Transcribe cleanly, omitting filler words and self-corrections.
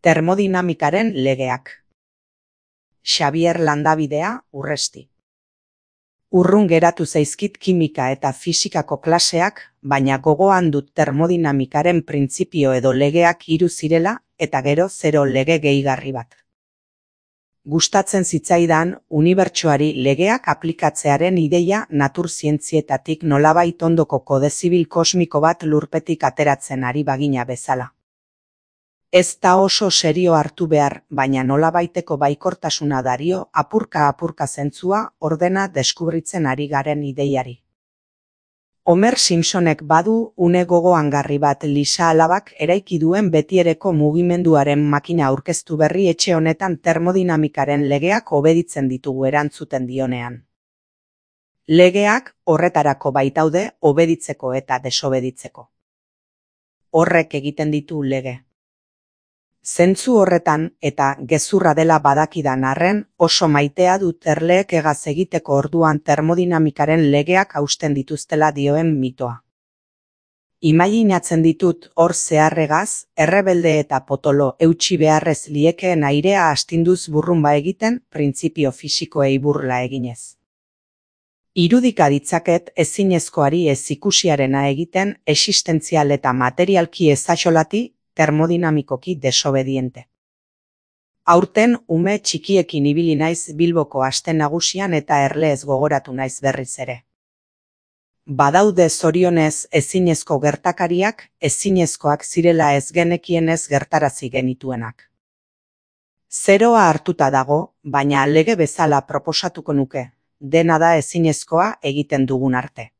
Termodinamikaren legeak. Xabier Landabidea, Urresti. Urrun geratu zaizkit kimika eta fisikako klaseak, baina gogoan dut termodinamikaren printzipio edo legeak 3 zirela eta gero 0 lege gehigarri bat. Gustatzen zitzaidan unibertsoari legeak aplikatzearen ideia naturzientzietatik nolabait ondoko kode zibil kosmiko bat lurpetik ateratzen ari bagina bezala. Ez da oso serio hartu behar, baina nolabaiteko baikortasuna dario apurka zentzua ordena deskubritzen ari garen ideiari. Homer Simpsonek badu une gogoangarri bat Lisa alabak eraiki duen betiereko mugimenduaren makina aurkeztu berri etxe honetan termodinamikaren legeak obeditzen ditugu erantzuten dionean. Legeak horretarako baitaude obeditzeko eta desobeditzeko. Horrek egiten ditu lege. Zentzu horretan eta gezurra dela badakidan arren oso maitea dut erleek egaz egiteko orduan termodinamikaren legeak hausten dituztela dioen mitoa. Imaginatzen ditut hor zeharregaz, errebelde eta potolo eutsi beharrez liekeen airea astinduz burrunba egiten printzipio fisikoei burla eginez. Irudika ditzaket ezinezkoari ez ikusiarena egiten existentzial eta materialki ezaxolati termodinamikoki desobediente. Aurten ume txikiekin ibili naiz Bilboko aste nagusian eta erleez gogoratu naiz berriz ere. Badaude zorionez ezinezko gertakariak, ezinezkoak zirela ez genekienez gertarazi genituenak. Zeroa hartuta dago, baina lege bezala proposatuko nuke, dena da ezinezkoa egiten dugun arte.